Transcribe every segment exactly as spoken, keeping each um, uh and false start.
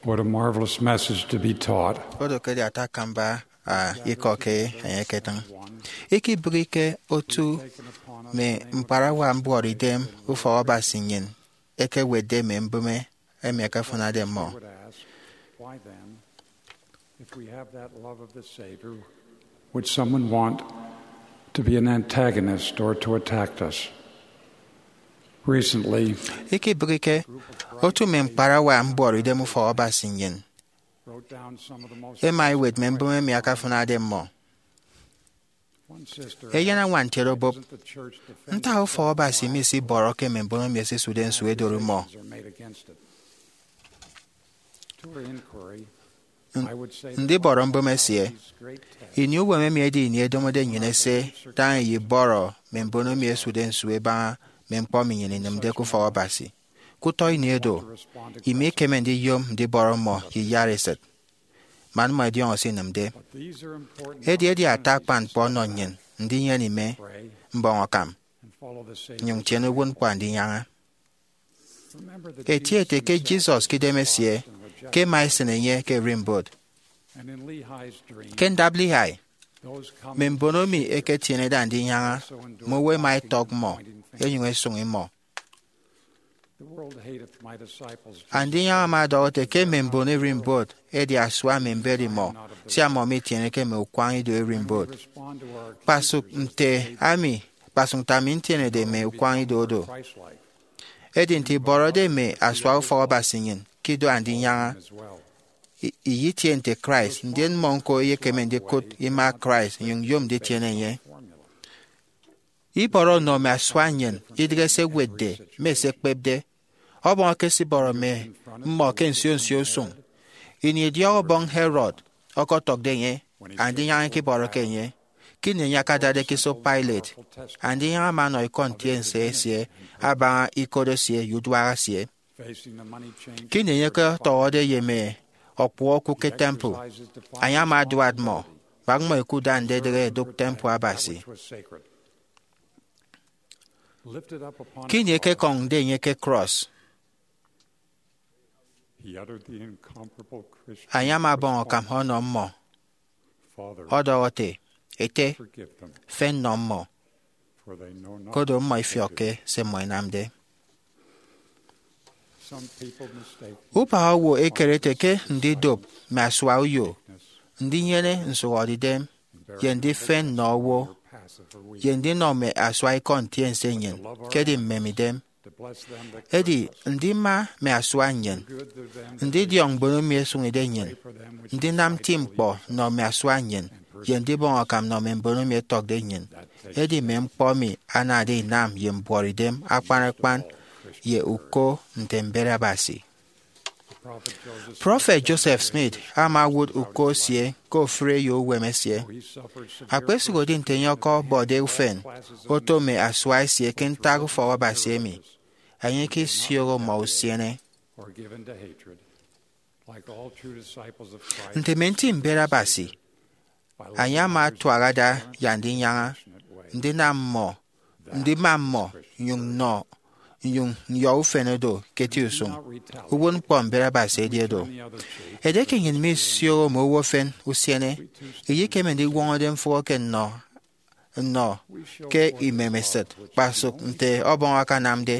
What a marvelous message to be taught. Odo ke edi ata akamba, a, ikọ ke enye eketịñ. Ikibịghike otu mme ñkparawa mbuọtidem ufọk Abasi nnyịn ekewetde mme mbụme emi ẹkefụnade mmọ. I would ask, why then, if we have that love of the Savior, would someone want to be an antagonist or to attack us? Recently, ikibịghike otu mme ñkparawa mbuọtidem ufọk Abasi nnyịn wrote down some of the most ẹma ẹwet mme mbụme emi ẹkafụnade mmọ. One sister Eyen añwan ntiede obụp, ntak ufọk Abasi misibọrọke mme mbon emi ẹsisude nsu ẹdori mmọ? To her inquiry, N- I would say the ndibọrọ mbụme esie. Ini uwem emi edi ini ẹdomode nnyịn ese daña iyibọrọ mme mbon emi ẹsude nsu ẹbaña mme ñkpọ emi nnyịn inịmde ke ufọk Abasi. Ke utọ ini edo, ima ikeme ndiyom ndibọrọ mmọ ye iyara esịt, man mmọ ẹdiọñọ se inịmde. Edi edi ata akpan ñkpọ ọnọ nnyịn ndinyene ime, mbọñ akam, nyụñ tiene uwụtñkpọ Andinyaña. Eti ete ke Jesus ke idemesie ke ẹma ẹsịn enye ke ererimbot. Ke ndap Lehi, mme mbon emi ẹketienede Andinyaña mme owo ẹma ẹtọk mmọ ẹnyụñ ẹsụñ mmọ. Andinyaña ama ọdọhọ ete ke mme mbon ererimbot ẹdi asua mme mbet imọ, sia mmọ mitieneke mme ukwañ ido ererimbot. Kpasụk nte ami, kpasụk nte ami ntienede mme ukwañ ido odo. Edi nte ibọrọde mme asua ufọk Abasi nnyịn ke ido Andinyaña, i- iyitie nte Christ, ndien mmọ ñko ẹyekeme ndikụt ima Christ, nyụñ yom nditiene enye. Ibọrọ nnọ mme asua nnyịn idịghe se ẹwetde mme se ẹkpepde. Ọbọñ ekesibọrọ mme mmọ ke nsio nsio usụñ. Ini idiọk ọbọñ Herod ọkọtọkde enye, Andinyaña ikibọrọke enye. Ke ini enye akadade ke iso Pilate, Andinyaña ama ọnọ ikọ ntiense esie abaña ikot esie ye uduak esie. Ke ini enye ọkọtọhọde ye mme ọkpụhọ oku ke temple, enye ama aduat mmọ, bak mmọ ẹkuda ndedịghe ẹdụk temple Abasi. Ke ini ẹkekọñde enye ke cross, enye ama ọbọñ akam ọnọ mmọ, ọdọhọ ete, Ete, fen nọ mmọ, koro mmọ ifiọkke se mmọ ẹnamde. Ubak owo ekere ete ke ndidop mme asua uyo, ndinyene nsụhọdeidem, ye ndifen nnọ owo, ye ndinọ mme asua ikọ ntiense nnyịn ke edi mmemidem. Edi ndima mme asua nnyịn, ndidiọñ mbon emi ẹsụñide nnyịn, ndinam nti ñkpọ nnọ mme asua nnyịn, ye ndibọñ akam nnọ mme mbon emi ẹtọkde nnyịn, edi mme ñkpọ emi anade inam ye mbuọtidem akpan akpan ye uko nte mbet Abasi. Prọfet Joseph Smith ama owụt uko esie ke ofụri eyo uwem esie. Akpesụhodi nte enye ọkọbọde ufen oto mme asua esie ke ntak ufọk Abasi emi, enye ikisioho mmọ usiene. Nte mme nti mbet Abasi, enye ama atuak ada ye Andinyaña, ndinam mmọ, ndima mmọ, nyụñ nnọ, nyụñ nyọ ufen odo ke eti usụñ. Uwụtñkpọ mbet Abasi edi odo. Edieke nnyịn misioho mme owo efen usiene, iyekeme ndiwọñọde mfụhọ ke nnọ nnọ ke imemesịt, kpasụk nte Ọbọñ akanamde.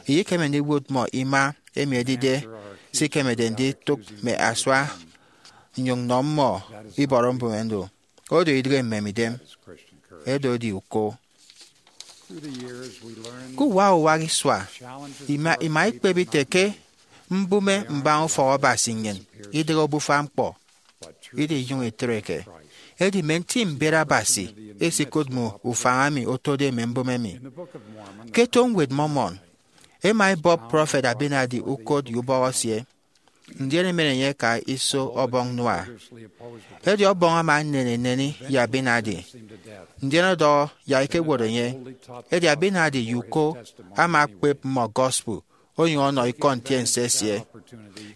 Iyekeme ndiwụt mmọ ima emi edide se ikemede nditụk mme asua nnyụñ nnọ mmọ ibọrọ mbụme ndo. Odo idịghe mmemidem, edo edi uko. Ke uwak uwak isua, ima, ima ikpep ite ke mbụme mbaña ufọk Abasi nnyịn idịghe obufa ñkpọ, idinyụñ itreke. Edi mme nti mbet Abasi esikụt mme ufañ emi otode mme mbụme emi. Ke eto Ñwed Mormon, ẹma ẹbọp prọfet Abinadi ukot ye ubọk esie, ndien emen enye eka iso Ọbọñ Noah. Edi Ọbọñ ama enyene eneni ye Abinadi, ndien ọdọhọ yak ẹkewot enye. Edi Abinadi ye uko ama ẹkpep mmọ gospel, onyụñ ọnọ ikọ ntiense esie.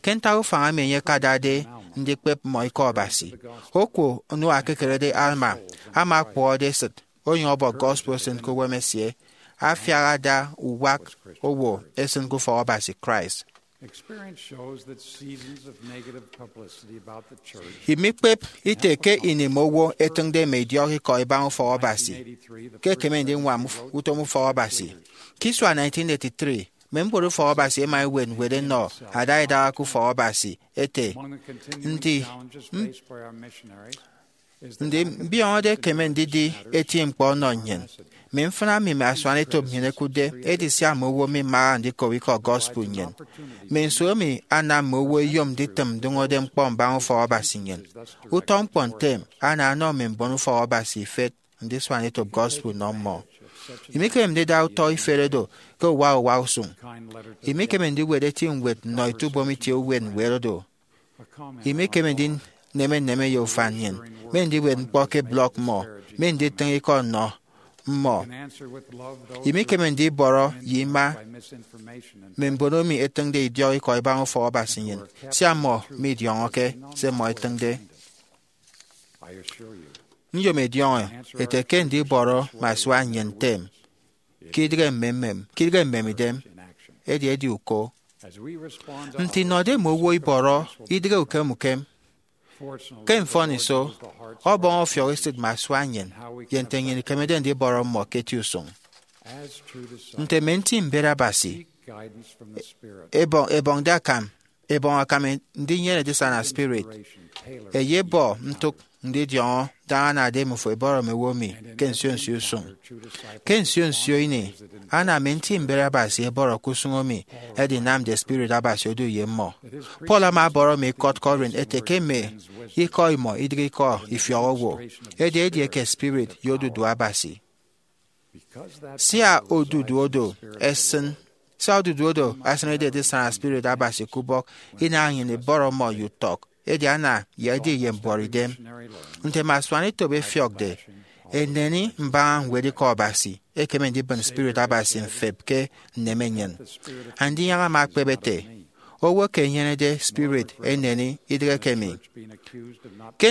Ke ntak ufañ emi enye akadade ndikpep mmọ ikọ Abasi, oku Noah ekekerede Alma ama ọkpụhọde esịt, onyụñ ọbọ gospel esịn ke uwem esie, afiak ada uwak owo esịn ke ufọk Abasi Christ. Experience shows that seasons of negative publicity about the church Imikpep ite ke ini mme owo ẹtịñde mme idiọk ikọ ibaña ufọk Abasi ke ekeme ndiñwam uf- utom ufọk Abasi. Ke isua nineteen eighty-three, mme mbon ufọk Abasi ẹma ẹwet ñwed ẹnọ ada idaha ke ufọk Abasi ẹte, Ndi, ndi mbiọñọde ekeme ndidi eti ñkpọ ọnọ nnyịn? Mme mfịna emi mme asuanetop nnyịn ẹkụtde ẹdi sia mme owo mimaha ndikop ikọ gospel nnyịn. Mme nsu emi anam mme owo ẹyom nditịm ndụñọde ñkpọ mbaña ufọk Abasi nnyịn? Utọ ñkpọ ntem ana ọnọ mme mbon ufọk Abasi ifet ndisuan etop gospel nnọ mmọ. Imikeme ndida utọ ifet oro ke uwa uwa usụñ. Imikeme ndiwet eti ñwed nnọ etubom itie uwet ñwed oro. Imikeme ndineme nneme ye ufan nnyịn, me ndiwet ñkpọ ke blọk mmọ, me nditịñ ikọ nnọ mmọ. Imikeme ndibọrọ ye ima mme mbon emi ẹtịñde idiọk ikọ ibaña ufọk Abasi nnyịn, sia mmọ midiọñọke se mmọ ẹtịñde. Nyom ẹdiọñọ ete ke ndibọrọ mme asua nnyịn ntem ke idịghe mmemmem, ke idịghe mmemidem, edi edi uko. Nte inọde mme owo ibọrọ idịghe ukem ukem, ke mfọniso, ọbọñ ọfiọk esịt mme asua nnyịn ye nte nnyịn ikemede ndibọrọ mmọ ke eti usụñ. Nte mme nti mbet Abasi, ebọñ, ebọñde akam, ebọñ akam ndinyene edisana spirit, eyebọ ntụk ndidiọñọ daña anade mmifo ibọrọ mme owo emi ke nsio nsio usụñ. Ke nsio nsio ini, ana mme nti mbet Abasi ẹbọrọ ke usụñ emi ẹdinamde spirit Abasi odu ye mmọ. Paul ama ọbọrọ mme ikọt Corinth ete ke mme ikọ imọ idịghe ikọ ifiọk owo, edi edieke spirit ye odudu Abasi. Sia odudu odo ẹsịn, sia odudu odo asịnede edisana spirit Abasi ke ubọk, inaha nnyịn ibọrọ mmọ ye utọk, edi ana ye edi ye mbuọtidem. Nte mme asuanetop ẹfiọkde, eneni mbaña ñwed ikọ Abasi ekeme ndibịn spirit Abasi mfep ke nneme nnyịn. Andinyaña ama ekpep ete, owo ke enyenede spirit eneni idịghe ke mi. Ke,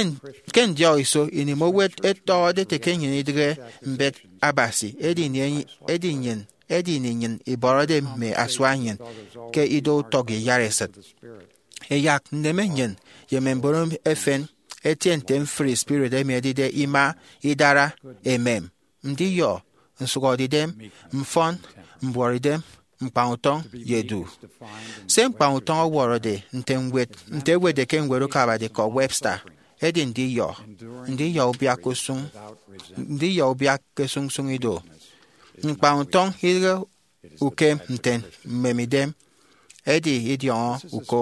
ke ndiọk iso ini mme owo ẹtọhọde ete ke nnyịn idịghe mbet Abasi, edi ini, edi nnyịn, edi ini nnyịn ibọrọde mme asua nnyịn ke ido utọk ye iyaresịt. Ẹyak nneme nnyịn ye mme mbon efen ẹtie nte mfri spirit emi ẹdide ima, idara, emem, ndiyọ, nsụhọdeidem, mfọn, mbuọtidem, ñkpañutọñ, ye edu. Se ñkpañutọñ ọwọrọde nte ñwed, nte ewetde ke ñwed ukabade ikọ Webster, edi ndiyọ, ndiyọ ubiak ke usụñ, ndiyọ ubiak ke sụñsụñ ido. Ñkpañutọñ idịghe ukem nte mmemidem, edi idiọñọ uko.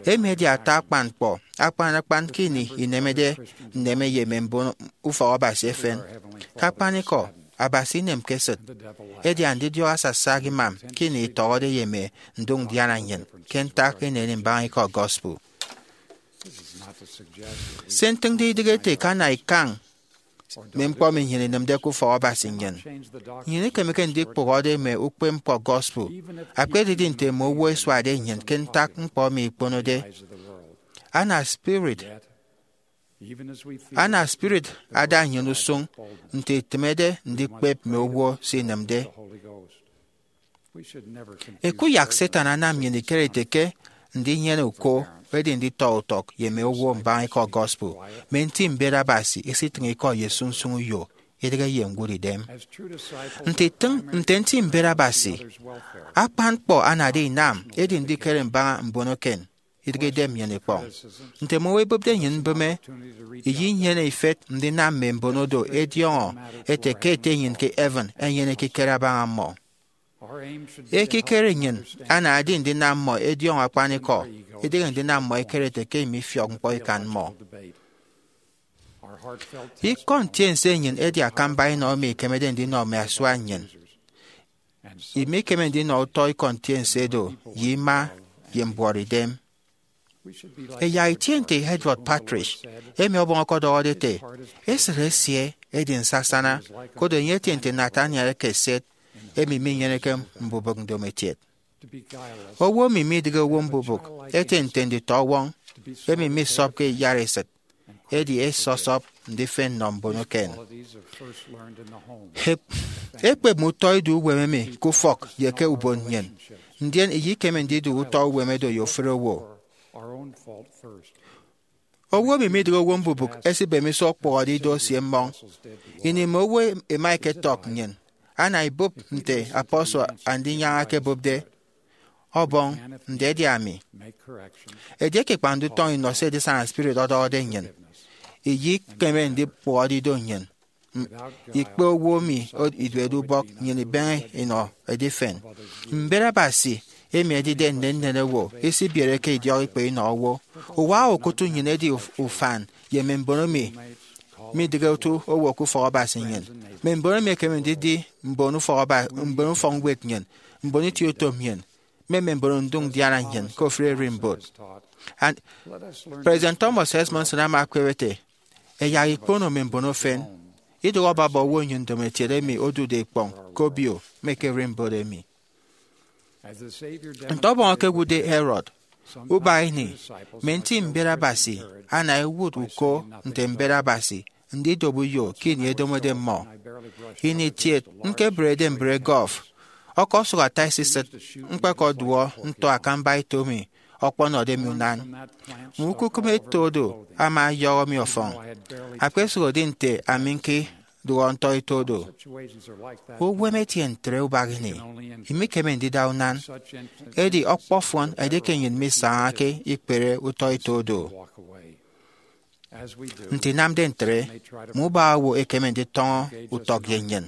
Emi edi ata akpan ñkpọ, akpan akpan ke ini inemede nneme ye mme mbon ufọk Abasi efen. Ke akpanikọ, Abasi inemke esịt, edi andidiọk asasak imam ke ini itọhọde ye mme ndụk ndiana nnyịn ke ntak ineni mbaña ikọ gospel. Se ntịñde idịghe ete ke ana ikañ mme ñkpọ emi nnyịn inịmde ke ufọk Abasi nnyịn. Nnyịn ikemeke ndikpụhọde mme ukpepñkpọ gospel, akpa edidi nte mme owo ẹsuade nnyịn ke ntak ñkpọ emi ikponode. Ana spirit, ana spirit ada nnyịn usụñ nte itịmede ndikpep mme owo se inịmde. Ekuyak Satan anam nnyịn ikere ete ke ndinyene uko edi nditọ utọk ye mme owo mbaña ikọ gospel. Mme nti mbet Abasi isitịñ ikọ ye sụñsụñ uyo, idịghe ye ñwụt idem. Nte itịñ, nte nti mbet Abasi, akpan ñkpọ anade inam edi ndikere mbaña mbon eken, idịghe idem nnyịn ikpọñ. Nte mme owo ẹbụpde nnyịn mbịme, iyinyene ifet ndinam mme mbon odo ẹdiọñọ ete ke Ete nnyịn ke heaven enyene ekikere abaña mmọ. Ekikere nnyịn anade ndinam mmọ ẹdiọñọ akpanikọ, idịghe ndinam mmọ ẹkere ete ke emi ifiọk ñkpọ ikan mmọ. Ikọ ntiense nnyịn edi akamba enọ emi ikemede ndinọ mme asua nnyịn. Imikeme ndinọ utọ ikọ ntiense do ye ima ye mbuọtidem. Ẹyak itie nte Edward Partridge, emi ọbọñ ọkọdọhọde ete, esịt esie edi nsasana, koro enye etie nte Nathaniel eke eset, emi minyeneke mbubịk ndomokiet. Owo emi midịghe owo mbubịk etie nte nditọwọñ, emi misọpke iyaresịt, edi esọsọp ndifen nnọ mbon eken. Ekpep mme utọ ido uwem emi ke ufọk ye ke ubon nnyịn. ndien iyikeme ndidu utọ uwem edo ye ofụri owo. Owo emi midịghe owo mbubịk esibem iso ọkpụhọde ido esie mmọñ. Ini mme owo ẹma ẹketọk nnyịn, ana ibụp nte apostle Andinyaña ekebụpde, Ọbọñ, ndedi ami. Edieke ikpañde utọñ inọ se edisana spirit ọdọhọde nnyịn, iyikeme ndikpụhọde ido nnyịn. M- ikpe owo emi iduede ubọk nnyịn ibeñe inọ edifen. Mbet Abasi emi edide nnennen owo isibiereke idiọk ikpe inọ owo. Uwa okụt nnyịn edi uf- ufan ye mme mbon emi midịghe otu owo ke ufọk Abasi nnyịn. Mme mbon emi ẹkeme ndidi mbon ufọk Aba- mbon ufọkñwed nnyịn, mbon itieutom nnyịn, mme mme mbon ndụk ndiana nnyịn ke ofụri ererimbot. And President Thomas S. Monson ama akpep ete, ẹyak ikpono mme mbon efen, idụhe ọbọbọ owo nnyịn ndomokiet emi odude ikpọñ ke obio mme ke ererimbot emi. Nte Ọbọñ ekewụtde Herod, ubak ini, mme nti mbet Abasi ana ẹwụt uko nte mbet Abasi ndidop uyo ke ini edomode mmọ. Ini kiet ñkebrede mbre golf, ọkọsụk ata esisịt ñkpekọduọ nto akamba eto emi ọkpọnọde mi unan. Mme ukukụm eto do ama ọyọhọ mi ọfọñ. Akpesụhodi nte ami ñkidụhọ ntọ eto do. Uwem etie ntre ubak ini. Imikeme ndida unan. Edi ọkpọfọn edieke nnyịn misañake ikpere utọ eto do. Nte inamde ntre, mme ubak owo ẹkeme nditọñọ utọk ye nnyịn.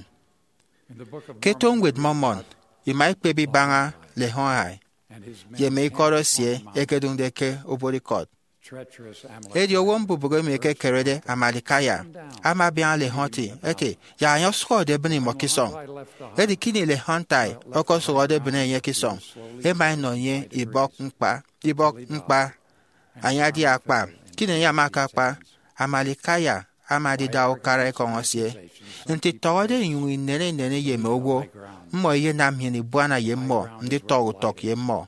Ke eto Ñwed Mormon, ima ikpep ibaña Lehi ye mme ikọt esie ẹkedụñde ke obuot ikọt. Edi owo mbubịk emi ekekerede Amalickiah ama abiaña Lehi ete, yak enye ọsụhọde ebịne imọ ke isọñ. Edi ke ini Lehi ọkọsụhọde ebịne enye ke isọñ, ẹma ẹnọ enye ibọk ñkpa, ibọk ñkpa, enye adia akpa. Ke ini enye ama akakpa, Amalickiah ama adida ukara ekọñ esie. Nte itọhọde inyụñ inene inene ye mme owo, mmọ ẹyenam nnyịn ibuana ye mmọ nditọñọ utọk ye mmọ.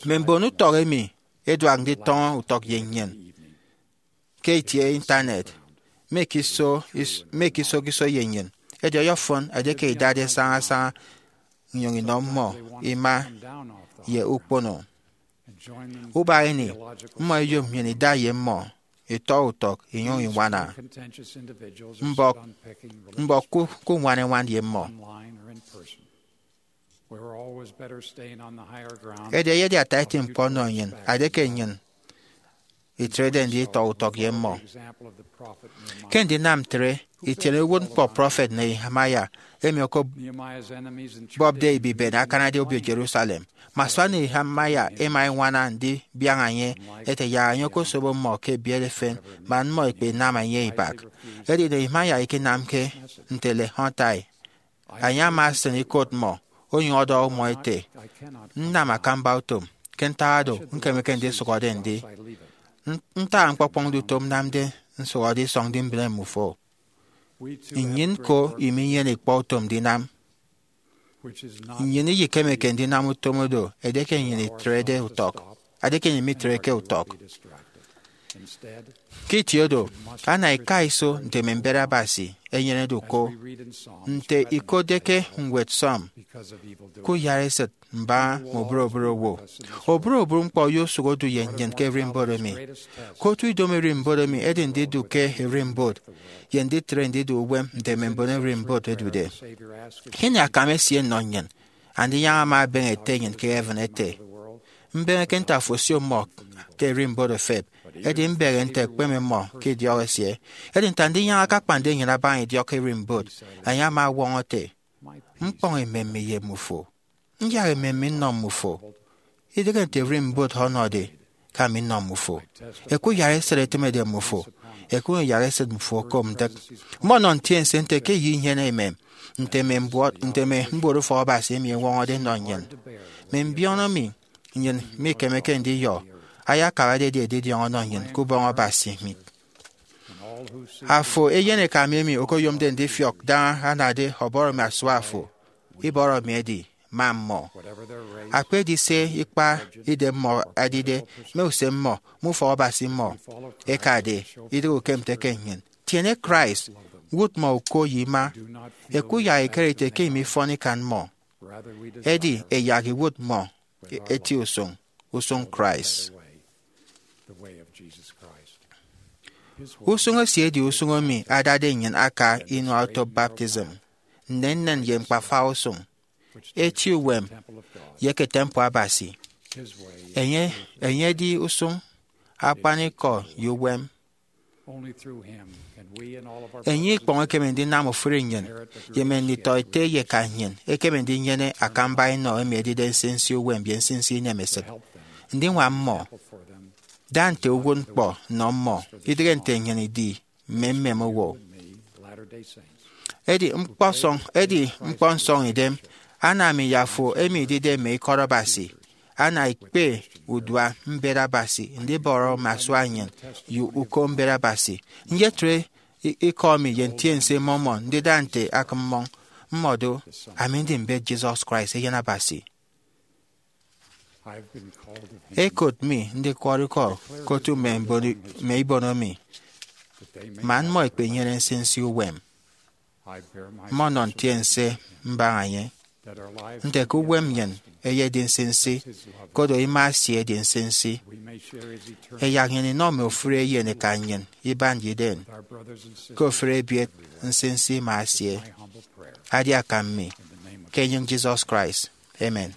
Mme mbon utọk emi ẹduak nditọñọ utọk ye nnyịn ke itie Intanet, mme ke iso is- mme ke iso ke iso ye nnyịn. Edi ọyọfọn edieke idade sañasaña inyụñ inọ mmọ ima ye ukpono. Ubak ini, mmọ ẹyom nnyịn ida ye mmọ itọ utọk inyụñ iñwana mbọk, mbọk ku, ku ñwan eñwan ye mmọ. Edi eyedi ata eti ñkpọ ọnọ nnyịn, edieke nnyịn itrede nditọ utọk ye mmọ. Ke ndinam ntre, itiene uwụtñkpọ prọfet Nehemiah emi okobọpde ebibe akanade obio Jerusalem. Mme asua Nehemiah ẹma ẹñwana ndibiaña enye ete yak enye okosobo mmọ ke ebiet efen man mmọ ẹkpenam enye ibak. Edi Nehemiah ikinamke nte Lehi. Enye ama esịn ikot mmọ, onyụñ ọdọhọ mmọ ete, nnam akamba utom, ke ntak oro ñkemeke ndisụhọde ndi. N- ntak ñkpọkpọñde utom nnamde nsụhọde isọñ ndi mbịne mmufo? Nnyịn ko iminyene ikpọ utom ndinam. Nnyịn iyikemeke ndinam utom oro edieke nnyịn itrede utọk, edieke nnyịn mitreke utọk. Ke itie oro, ana ika iso nte mme mbet Abasi ẹnyenede uko. Nte ikotde ke ñwed Psalm, kuyara esịt mbaña mme oburobụrụ owo. Oburobụrụ ñkpọ oyosụk odu ye nnyịn ke ererimbot emi. Ke otu idomo ererimbot emi edi ndidu ke ererimbot ye nditre ndidu uwem nte mme mbon ererimbot ẹdude. Ini akam esie nnọ nnyịn, Andinyaña ama ebeñe Ete nnyịn ke heaven ete, mbeñe ke nte afo osio mmọ ke ererimbot efep, edi mbeñe nte ẹkpeme mmọ ke idiọk esie. Edi nte Andinyaña akakpañde nnyịn abaña idiọk ererimbot, enye ama ọwọñọ ete, ñkpọñ emem mi ye mmufo, nyak emem mi nnọ mmufo. Idịghe nte ererimbot ọnọde ke ami nnọ mmufo. Ẹkuyara esịt ẹtịmede mmufo, ẹkụnyụñ ẹyak esịt mmufo okom ndịk. Mmọnọ ntiense nte ke eyo inyene emem nte mme mbuọt, nte mme mbuot ufọk Abasi emi ẹñwọñọde ẹnọ nnyịn. Mme mbiọñọ emi nnyịn mikemeke ndiyọ ayakabade edi edidiọñ ọnọ nnyịn ke Ubọñ Abasi mi. Afo eyeneka mi emi okoyomde ndifiọk daña anade ọbọrọ mi asua afo, ibọrọ mi edi, ma mmọ. Akpedi se ikpa idemmọ ẹdide, mme usem mmọ, mme ufọk Abasi mmọ ẹkade, idịghe ukemke nnyịn. Tiene Christ, wụt mmọ uko ye ima. Ẹkuyak ẹkere ete ke imifọn ikan mmọ. Edi ẹyak iwụt mmọ eti usụñ, usụñ Christ. Usụñ esie edi usụñ emi adade nnyịn aka inua-otop baptism, nnennen ye ñkpafa usụñ, eti uwem, ye eke temple Abasi. Enye, enye edi usụñ, akpanikọ, ye uwem. Enye ikpọñ ekeme ndinam ofụri nnyịn, ye mme nditọete ye eka nnyịn ekeme ndinyene akamba enọ emi edide nsinsi uwem ye nsinsi inemesịt, ndiñwam mmọ, da nte uwụtñkpọ nnọ mmọ, idịghe nte nnyịn idi mme mmem owo. Edi ñkpọsọñ, edi ñkpọ nsọñidem, ana mi ye afo emi idide mme ikọt Abasi, ana ikpe udua mbet Abasi ndibọrọ mme asua nnyịn ye uko mbet Abasi. Nyetre i- ikọ mi ye Ntiense Mormon ndida nte akịmmọñ, mmọdo, ami ndi mbet Jesus Christ, Eyen Abasi. Ekot mi ndikwọrọ ikọ ke otu mme mbon- mme ibono mi, man mmọ ẹkpenyene nsinsi uwem. Mmọnọ ntiense mbaña enye nte ke uwem nnyịn eyedi nsinsi, koro ima esie edi nsinsi. Ẹyak nnyịn inọ mme ofụri eyen eka nnyịn iban ye idem, ke ofụri ebiet nsinsi ima esie. Adi akam mi, ke enyịñ Jesus Christ. Amen.